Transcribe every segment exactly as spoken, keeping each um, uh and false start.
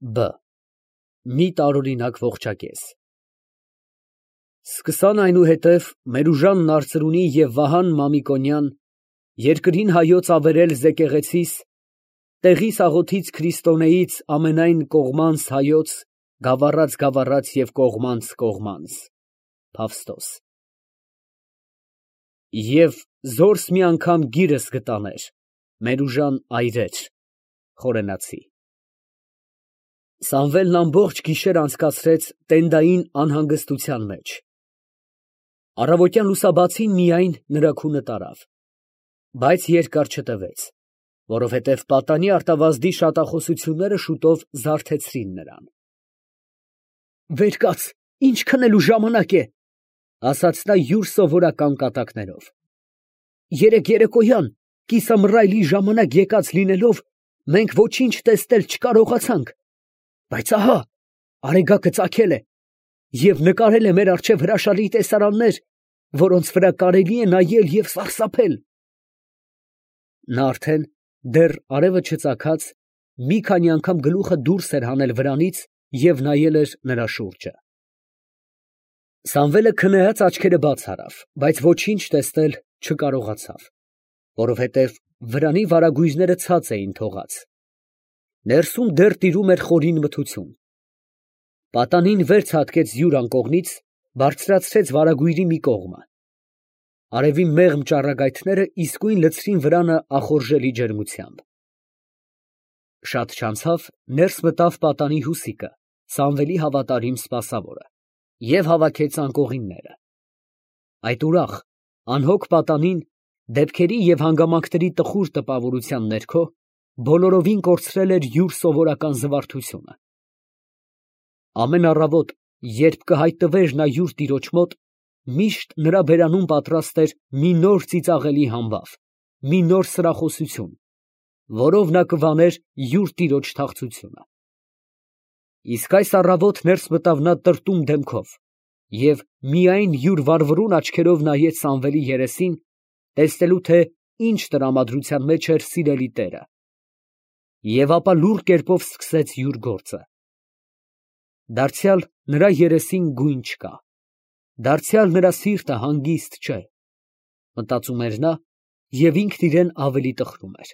Բ Մի տարօրինակ ողջակեզ։ Սկսան այնուհետև Մերուժան Նարծրունի և Վահան Մամիկոնյան երկրին հայոց ավերել զեկեղեցիս, տեղիս աղոթից քրիստոնեից ամենայն կողմանց հայոց, գավառաց գավառաց և կողմանց կողմանց։ Փավստոս։ Եվ զորս մի անգամ գիրս գտաներ, Մերուժան այրեր։ Խորենացի։ Սամվելն ամբողջ գիշեր անցկացրեց տենդային անհանգստության մեջ։ Առավոտյան լուսաբացին միայն նրա քունը տարավ, բայց երկար չտևեց, որովհետև պատանի արտավազդի շատախոսությունները շուտով զարթեցրին նրան։ «Վեր կաց, ինչ քնելու ժամանակ է», ասաց նա յուր սովորական կատակներով։ «Երեկ երեկոյան կիսամռայլի ժամանակ եկած լինելով, մենք ոչինչ տեսնել չկարողացանք, բայց ահա արեգակը ծագել է և նկարել է մեր առջև հրաշալի տեսարաններ, որոնց վրա կարելի է նայել և սարսափել»։ Նա արդեն, դեռ արևը չծագած, մի քանի անգամ գլուխը դուրս էր հանել վրանից և նայել էր նրա շուրջը։ Սամվելը քնեած աչքերը բաց արավ, բայց ոչինչ տեսնել չկարողացավ, որովհետև վրանի վարագույրները ցած էին թողած։ Ներսում դեռ տիրում էր խորին մթություն։ Պատանին վեր ցատկեց յուր անկողնից, բարձրացրեց վարագույրի մի կողմը։ Արևի մեղմ ճառագայթները իսկույն լցրին վրանը ախորժելի ջերմությամբ։ Շատ չանցավ, ներս մտավ պատանի հուսիկը, Սամվելի հավատարիմ սպասավորը, և հավաքեց անկողինները։ Այդ ուրախ, անհոգ պատանին, դեպքերի և հանգամանքների տխուր տպավորության ներքո, բոլորովին կորցրել էր յուր սովորական զվարթությունը։ Ամեն առավոտ, երբ կհայտնվեր նա յուր տիրոջ մոտ, միշտ նրա բերանում պատրաստ էր մի նոր ծիծաղելի համբավ, մի նոր սրախոսություն, որով նա կվաներ յուր տիրոջ թախծությունը։ Իսկ այս առավոտ ներս մտավ նա տրտում դեմքով և միայն յուր վառվռուն աչքերով նայեց Սամվելի երեսին, տեսնելու, թե ինչ տրամադրության մեջ էր սիրելի տերը, և ապա լուռ կերպով սկսեց յուր գործը։ Դարձյալ նրա երեսին գույն չկա, դարձյալ նրա սիրտը հանգիստ չէ, մտածում էր նա և ինքն իրան ավելի տխրում էր։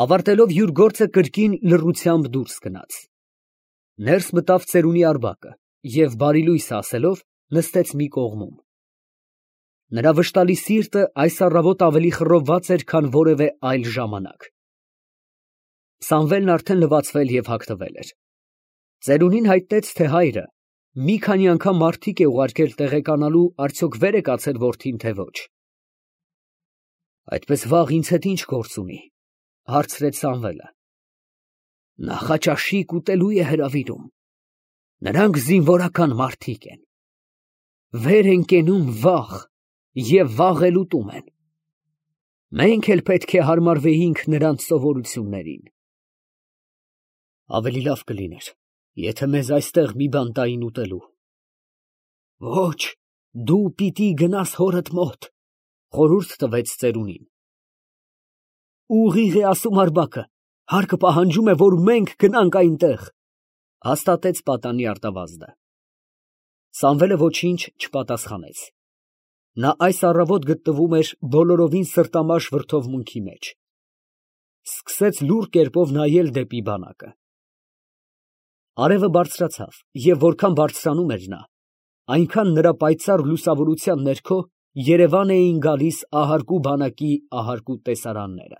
Ավարտելով յուր գործը կրկին լռությամբ դուրս գնաց։ Ներս մտավ ծերունի առբակը և բարիլույս ասելով, նստեց մի կողմում։ Նրա վշտալի սիրտը այս առավոտ ավելի խռովված էր, քան որևէ այլ ժամանակ։ Սամվելն արդեն լվացվել և հագնվել էր։ Ծերունին հայտնեց, թե հայրը մի քանի անգամ մարդիկ է ուղարկել տեղեկանալու, արդյոք վեր է կացել որդին, թե ոչ։ «Այդպես վաղ ինձ հետ ի՞նչ գործ ունի», հարցրեց Սամվելը։ «Նախաճաշիկ ուտելու է հրավիրում, նրանք զինվորական մարդիկ են, վեր են կենում վաղ և վաղ էլ ուտում են, մենք էլ պետք է հարմարվեինք նրանց սովորություններին»։ «Ավելի լավ կլիներ, եթե մեզ այստեղ մի բան տային ուտելու»։ «Ոչ, դու պիտի գնաս հորդ մոտ», խորհուրդ տվեց ծերունին։ «Ուղիղ է ասում առբակը, հարկը պահանջում է, որ մենք գնանք այնտեղ», հաստատեց պատանի արտավազդը։ Սամվելը ոչինչ չպատասխանեց։ Նա այս առավոտ գտնվում էր բոլորովին սրտամաշ վրդովմունքի մեջ։ Սկսեց լուռ կերպով նայել դեպի բանակը։ Արևը բարձրացավ, և որքան բարձրանում էր նա, այնքան նրա պայծառ լուսավորության ներքո երևան էին գալիս ահարկու բանակի ահարկու տեսարանները։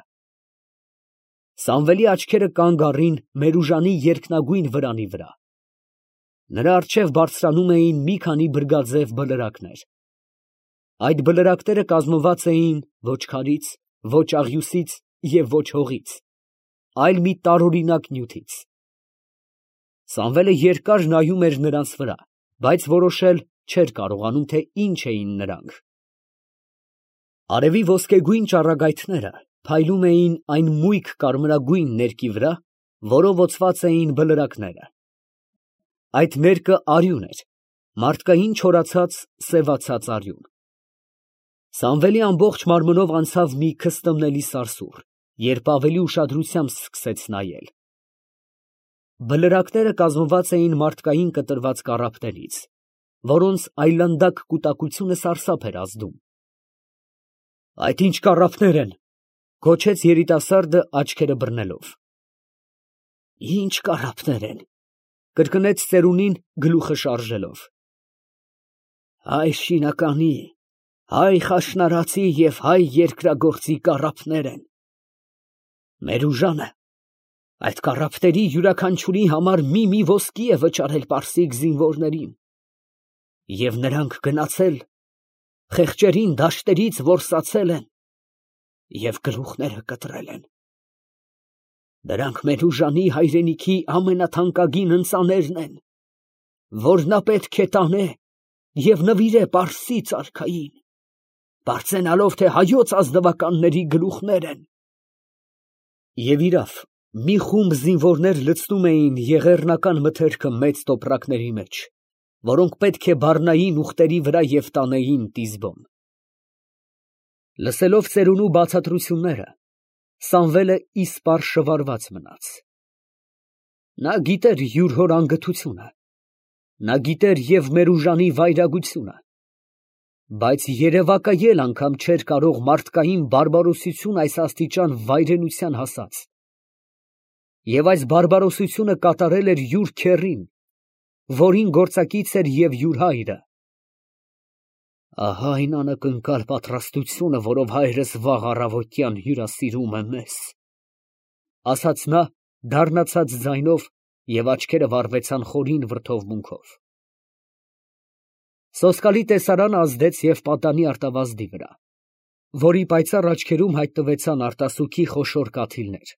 Սամվելի աչքերը կանգ առին Մերուժանի երկնագույն վրանի վրա։ Նրա առջև բարձրանում էին մի քանի բրգաձև բլրակներ։ Այդ բլրակները կազմված էին ոչ քարից, ոչ աղյուսից և ոչ հողից, այլ մի տարօրինակ նյութից։ Սամվելը երկար նայում էր նրանց վրա, բայց որոշել չէր կարողանում, թե ինչ էին նրանք։ Արևի ոսկեգույն ճառագայթները փայլում էին այն մույկ կարմրագույն ներկի վրա, որով օծված էին բլրակները։ Այդ ներկը արյուն էր, մարդկային չորացած, սևացած արյուն։ Սամվելի ամբողջ մարմնով անցավ մի քստմնելի սարսուռ, երբ ավելի ուշադրությամբ սկսեց նայել։ Բլրակները կազմված էին մարդկային կտրված կառափներից, որոնց այլանդակ կուտակությունը սարսափ էր ազդում։ ֊ Այդ ի՞նչ կառափներ են, ֊ գոչեց երիտասարդը աչքերը բռնելով։ ֊ Ի՞նչ կառափներ են, ֊ կրկնեց ծերունին գլուխը շարժելով։ ֊ Հայ շինականի, հայ խաշնարածի և հայ երկրագործի կառափներ են։ Մերուժանը այդ կառափների յուրաքանչյուրի համար մի֊մի ոսկի է վճարել պարսիկ զինվորներին, և նրանք գնացել, խեղճերին դաշտերից որսացել են և գլուխները կտրել են։ Դրանք Մերուժանի հայրենիքի ամենաթանկագին ընծաներն են, որ նա պետք է տանե և նվիրե պարսից արքային, պարծենալով, թե հայոց ազնվականների գլուխներ են։ Եվ իրավ, մի խումբ զինվորներ լցնում էին եղեռնական մթերքը մեծ տոպրակների մեջ, որոնք պետք է բառնային ուղտերի վրա և տանեին Տիզբոն։ Լսելով ծերունու բացատրությունները, Սամվելը իսպառ շվարված մնաց։ Նա գիտեր յուր հոր անգթությունը, նա գիտեր և Մերուժանի վայրագությունը, բայց երևակայել անգամ չէր կարող մարդկային բարբարոսություն այս աստիճան վայրենության հասած, և այս բարբարոսությունը կատարել էր յուր քեռին, որին գործակից էր և յուր հայրը։ Ահա այն անակնկալ պատրաստությունը, որով հայրս վաղ առավոտյան հյուրասիրում է մեզ, ֊ ասաց նա դառնացած ձայնով, և աչքերը վառվեցան խորին վրդովմունքով։ Սոսկալի տեսարանը ազդեց և պատանի արտավազդի վրա, որի պայծառ աչքերում հայտնվեցան արտասուքի խոշոր կաթիլներ։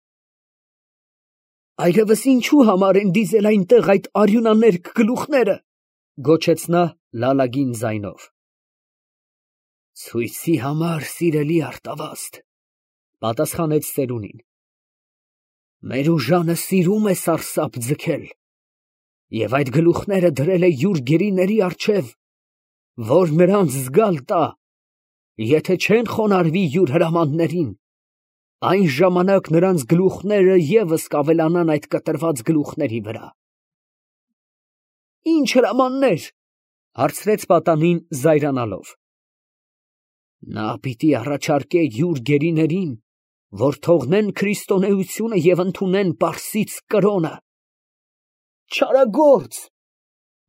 Այլևս ինչո՞ւ համար են դիզել այնտեղ այդ արյունաներկ գլուխները, ֊ գոչեց նա լալագին ձայնով։ Ցույցի համար, սիրելի արտավազդ, ֊ պատասխանեց ծերունին։ Մերուժանը սիրում է սարսափ ձգել և այդ գլուխները դրել է յուր գերիների առջև, որ նրանց զգալ տա, եթե չեն խոնարհվի յուր հրամաններին, այն ժամանակ նրանց գլուխները ևս կավելանան այդ կտրված գլուխների վրա։ ֊ Ի՞նչ հրամաններ, ֊ հարցրեց պատանին զայրանալով։ Նա պիտի առաջարկե յուր գերիներին, որ թողնեն քրիստոնեությունը և ընդունեն պարսից կրոնը։ ֊ Չարագործ, ֊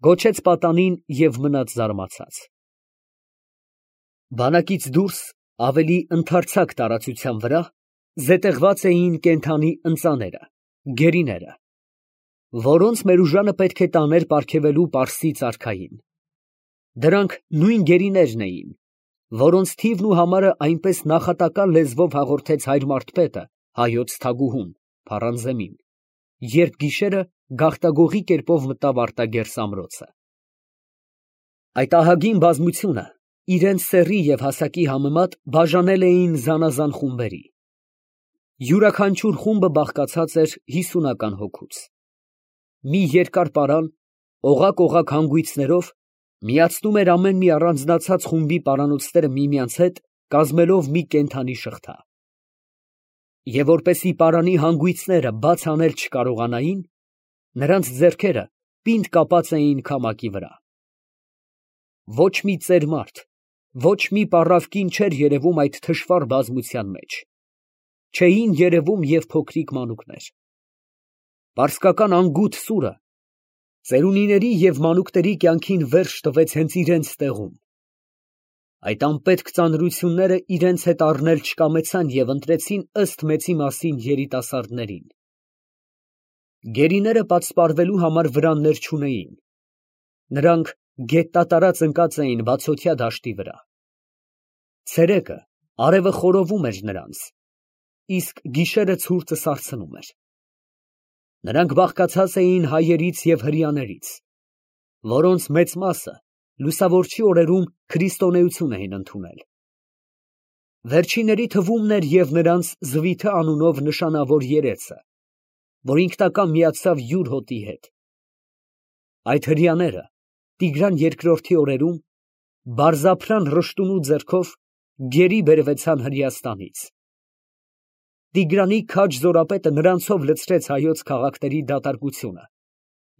գոչեց պատանին և մնաց զարմացած։ Բանակից դուրս, ավելի ընդարձակ տարածության վրա, զետեղված էին կենդանի ընծաները, գերիները, որոնց Մերուժանը պետք է տաներ պարգևելու պարսից արքային։ Դրանք նույն գերիներն էին, որոնց թիվն ու համարը այնպես նախատակալ լեզվով հաղորդեց հայր մարդպետը հայոց թագուհուն Փարանզեմին, երբ գիշերը գաղտագողի կերպով մտավ արտագերս ամրոցը։ Այդ ահագին բազմությունը իրենց սեռի և հասակի համեմատ բաժանել էին զանազան խումբերի։ Յուրաքանչյուր խումբը բաղկացած էր հիսունական հոգուց։ Մի երկար պարան, օղակ֊օղակ հանգույցներով, միացնում էր ամեն մի առանձնացած խումբի պարանոցները միմյանց հետ, կազմելով մի կենդանի շղթա։ Եվ որպեսզի պարանի հանգույցները բաց անել չկարողանային, նրանց ձեռքերը պինդ կապած էին քամակի վրա։ Ոչ մի ծեր մարդ, ոչ մի պառավ կին չէր երևում այդ թշվառ բազմության մեջ, չէին երևում և փոքրիկ մանուկներ։ Պարսկական անգութ սուրը ծերունիների և մանուկների կյանքին վերջ տվեց հենց իրենց տեղում։ Այդ անպետք ծանրությունները իրենց հետ առնել չկամեցան և ընտրեցին ըստ մեծի մասին երիտասարդներին։ Գերիները պատսպարվելու համար վրաններ չունեին։ Նրանք գետտատարած ընկած էին բացօթյա դաշտի վրա։ Ցերեկը արևը խորովում էր նրանց, իսկ գիշերը ցուրտը սարսնում էր։ Նրանք բաղկացած էին հայերից և հրեաներից, որոնց մեծ մասը լուսավորչի օրերում քրիստոնեություն էին ընդունել։ Վերջինների թվում էր և նրանց Զվիթը անունով նշանավոր երեծը, որ ինքնակամ միացավ յուր հոտի հետ։ Այդ հրեաները Տիգրան երկրորդի օրերում Բարձափրան Ռշտունու ձեռքով գերի բերվեցան Հրեաստանից։ Տիգրանի քաջ զորապետը նրանցով լցրեց հայոց քաղաքների դատարկությունը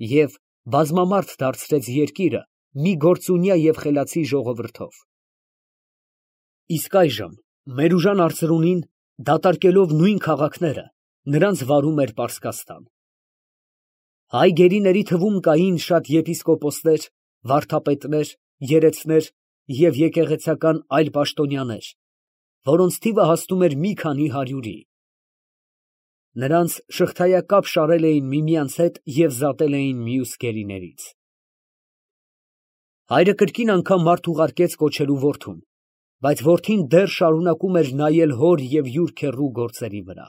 և բազմամարդ դարձրեց երկիրը մի գործունյա և խելացի ժողովրդով։ Իսկ այժմ Մերուժան արծրունին, դատարկելով նույն քաղաքները, նրանց վարում էր Պարսկաստան։ Հայ գերիների թվում կային շատ եպիսկոպոսներ, վարդապետներ, երեցներ և եկեղեցական այլ պաշտոնյաներ, որոնց թիվը հասնում էր մի քանի հարյուրի։ Նրանց շղթայակապ շարել էին միմյանց հետ և զատել էին մյուս գերիներից։ Հայրը կրկին անգամ մարդ ուղարկեց կոչելու որդուն, բայց որդին դեռ շարունակում էր նայել հոր և յուր քեռու գործերի վրա։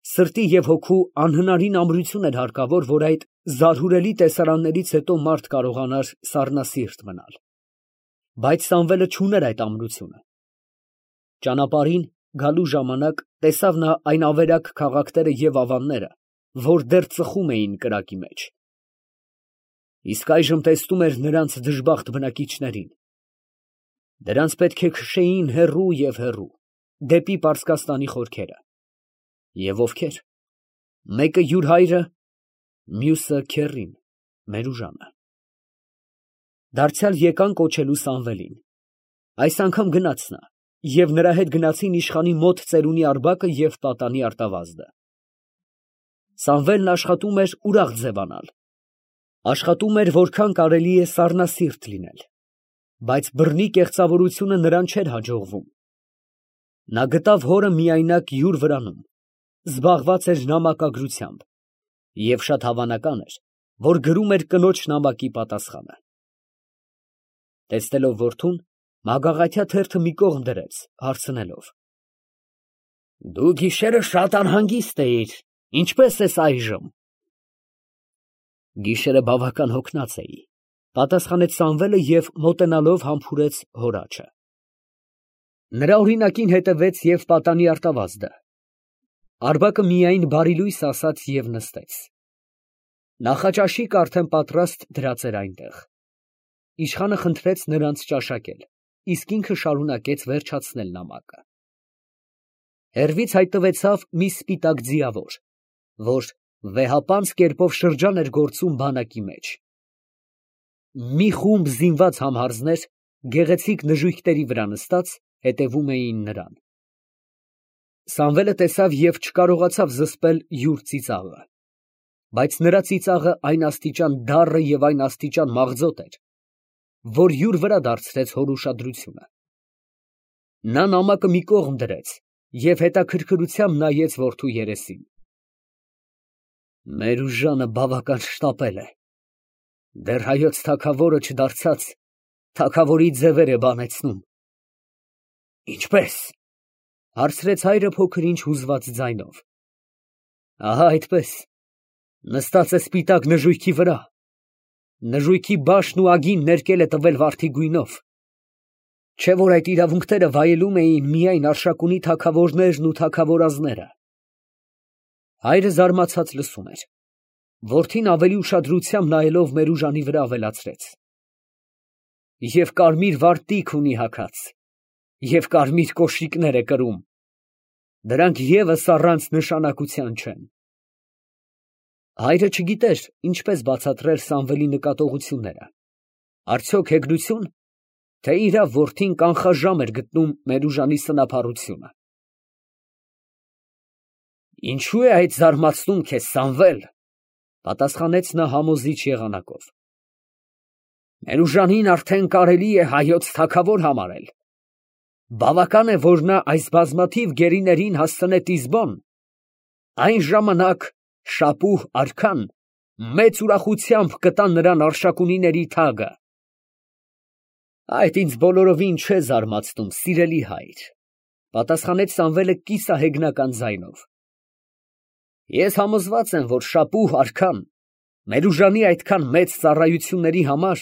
Սրտի և հոգու անհնարին ամրություն էր հարկավոր, որ այդ զարհուրելի տեսարաններից հետո մարդ կարողանար սառնասիրտ մնալ։ Բայց Սամվելը չուներ այդ ամրությունը։ Ճանապարհին գալու ժամանակ տեսավ նա այն ավերակ քաղաքները և ավանները, որ դեռ ծխում էին կրակի մեջ։ Իսկ այժմ տեսնում էր նրանց դժբախտ բնակիչներին։ Դրանց պետք է քշեին հեռու և հեռու, դեպի Պարսկաստանի խորքերը։ Եվ ովքեր։ Մեկը յուր հայրը, մյուսը քեռին, Մերուժանը։ Դարձյալ եկան կոչելու Սամվելին։ Այս անգամ գնաց նա, և նրա հետ գնացին իշխանի մոտ ծերունի Արբակը և պատանի արտավազդը։ Սամվելն աշխատում էր ուրախ ձևանալ։ Աշխատում էր, որքան կարելի է սառնասիրտ լինել, բայց բռնի կեղծավորությունը նրան չէր հաջողվում։ Նա գտավ հորը միայնակ յուր վրանում, զբաղված էր նամակագրությամբ, և շատ հավանական էր, որ գրում էր կնոջ նամակի պատասխանը։ Տեսնելով որդուն, մագաղաթյա թերթը մի կողմ դրեց, հարցնելով. «Դու գիշերը շատ անհանգիստ էիր, ինչպե՞ս ես այժմ»։ Գիշերը բավական հոգնած էի, ֊ պատասխանեց Սամվելը և մոտենալով համբուրեց հոր աջը։ Նրա օրինակին հետևեց և պատանի արտավազդը։ Արբակը միայն բարիլույս ասաց և նստեց։ Նախաճաշիկ արդեն պատրաստ դրած էր այնտեղ։ Իշխանը խնդրեց նրանց ճաշակել, իսկ ինքը շարունակեց վերջացնել նամակը։ Հեռվից հայտնվեցավ մի սպիտակ ձիավոր, որ վեհապանծ կերպով շրջան էր գործում բանակի մեջ։ Մի խումբ զինված համհարձներ, գեղեցիկ նժույգների վրա նստած, հետևում էին նրան։ Սամվելը տեսավ և չկարողացավ զսպել յուր ծիծաղը, բայց նրա ծիծաղը այն աստիճան դառը և այն աստիճան մաղձոտ էր, որ յուր վրա դարձրեց հոր ուշադրությունը։ Նա նամակը մի կողմ դրեց և հետաքրքրությամբ նայեց որդու երեսին։ Մերուժանը բավական շտապել է, դեռ հայոց թագավորը չդարձած, թագավորի ձևեր է բանեցնում։ Ինչպե՞ս, ֊ հարցրեց հայրը փոքր֊ինչ հուզված ձայնով։ Ահա այդպես, նստած է սպիտակ նժույգի վրա, նժույգի բաշն ու ագին ներկել է տվել վարդի գույնով, չէ՞ որ այդ իրավունքները վայելում էին միայն Արշակունի թագավորներն ու թագավորազները։ Հայրը զարմացած լսում էր։ Որդին ավելի ուշադրությամբ նայելով Մերուժանի վրա ավելացրեց. Եվ կարմիր վարտիք ունի հագած, և կարմիր կոշիկներ է կրում, դրանք ևս առանց նշանակության չեն։ Հայրը չգիտեր ինչպես բացատրել Սամվելի նկատողությունները, արդյոք հեգնություն, թե իրավ որդին կանխաժամ էր գտնում Մերուժանի սնափառությունը։ Ինչո՞ւ է այդ զարմացնում քեզ, Սամվել, ֊ պատասխանեց նա համոզիչ եղանակով։ Մերուժանին արդեն կարելի է հայոց թագավոր համարել։ Բավական է, որ նա այս բազմաթիվ գերիներին հասցնե Տիզբոն, այն ժամանակ Շապուհ արքան մեծ ուրախությամբ կտա նրան Արշակունիների թագը։ Այդ ինձ բոլորովին չէ զարմացնում, սիրելի հայր, ֊ պատասխանեց Սամվելը կիսահեգնական ձայնով։ Ես համոզված եմ, որ Շապուհ արքան Մերուժանի այդքան մեծ ծառայությունների համար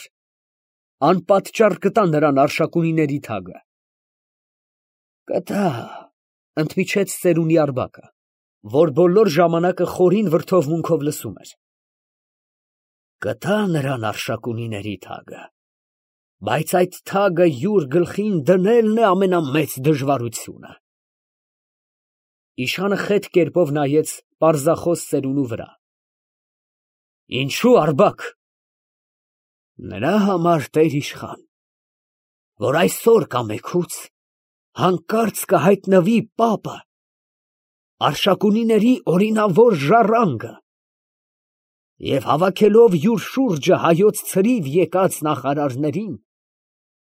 անպատճառ կտա նրան Արշակունիների թագը։ Կտա, ֊ ընդմիջեց ծերունի Արբակը, որ բոլոր ժամանակը խորին վրդովմունքով լսում էր։ Կտա նրան Արշակունիների թագը, բայց այդ թագը յուր գլխին դնելն է ամենամեծ դժվարությունը։ Իշխանը խետ կերպով նայեց պարզախոս ծերունու վրա։ Ինչո՞ւ Արբակ։ Նրա համար, տեր-իշխան, որ այսօր կամ էգուց հանկարծ կհայտնվի պապը, Արշակունիների օրինավոր ժառանգը, և հավաքելով յուր շուրջը հայոց ցրիվ եկած նախարարներին,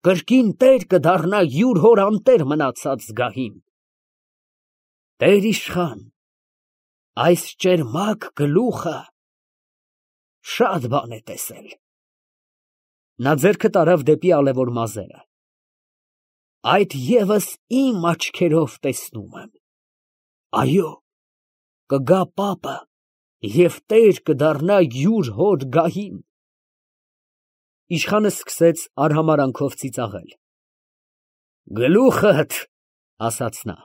կրկին տեր կդառնա յուր հոր անտեր մնացած զգահին։ Տեր-իշխան, այս ճերմակ գլուխը շատ բան է տեսել։ Նա ձեռքը տարավ դեպի ալևոր մազերը։ Այդ ևս իմ աչքերով տեսնում եմ։ Այո, կգա պապը և տեր կդառնա յուր հոր գահին։ Իշխանը սկսեց արհամարանքով ծիծաղել։ Գլուխդ, ասաց նա,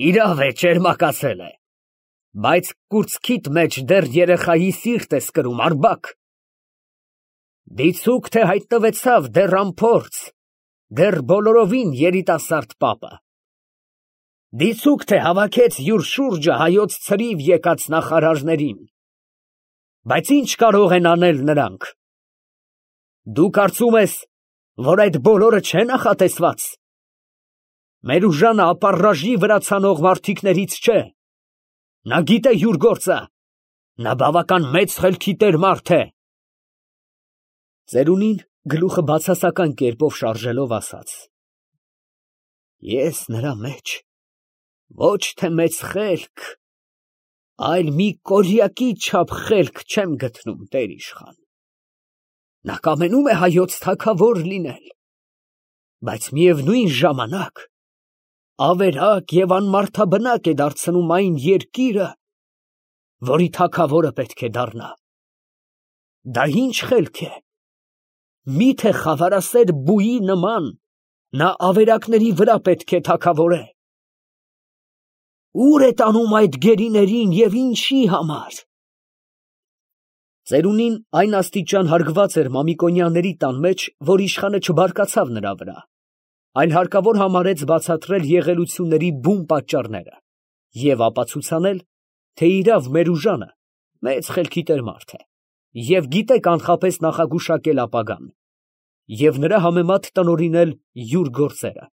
իրավ է ճերմակացել է, բայց կուրծքիդ մեջ դեռ երեխայի սիրտ ես կրում, Արբակ։ Դիցուք թե հայտնվեցավ դեռ անփորձ, դեռ բոլորովին երիտասարդ պապը։ Դիցուք թե հավաքեց յուր շուրջը հայոց ցրիվ եկած նախարարներին, բայց ինչ կարող են անել նրանք։ Դու կարծում ես, որ այդ բոլորը չէ նախատեսված։ Մերուժանը ապառաժի վրա ցանող մարդիկներից չէ։ Նա գիտե յուր գործը, նա բավական մեծ խելքի տեր մարդ է։ Ծերունին գլուխը բացասական կերպով շարժելով ասաց. Ես նրա մեջ ոչ թե մեծ խելք, այլ մի կորյակի չափ խելք չեմ գտնում, տեր-իշխան։ Նա կամենում է հայոց թագավոր լինել, բայց միևնույն ժամանակ ավերակ և անմարդաբնակ է դարձնում այն երկիրը, որի թագավորը պետք է դառնա։ Դա ինչ խելք է։ Միթե խավարասեր բուի նման նա ավերակների վրա պետք է թագավորե։ Ուր է տանում այդ գերիներին և ինչի համար։ Ծերունին այն աստիճան հարգված էր Մամիկոնյանների տան մեջ, որ իշխանը չբարկացավ նրա վրա, այլ հարկավոր համարեց բացատրել եղելությունների բուն պատճառները և ապացուցանել, թե իրավ Մերուժանը մեծ խելքի տեր մարդ է և գիտե կանխապես նախագուշակել ապագան և նրա համեմատ տնօրինել յուր գործերը։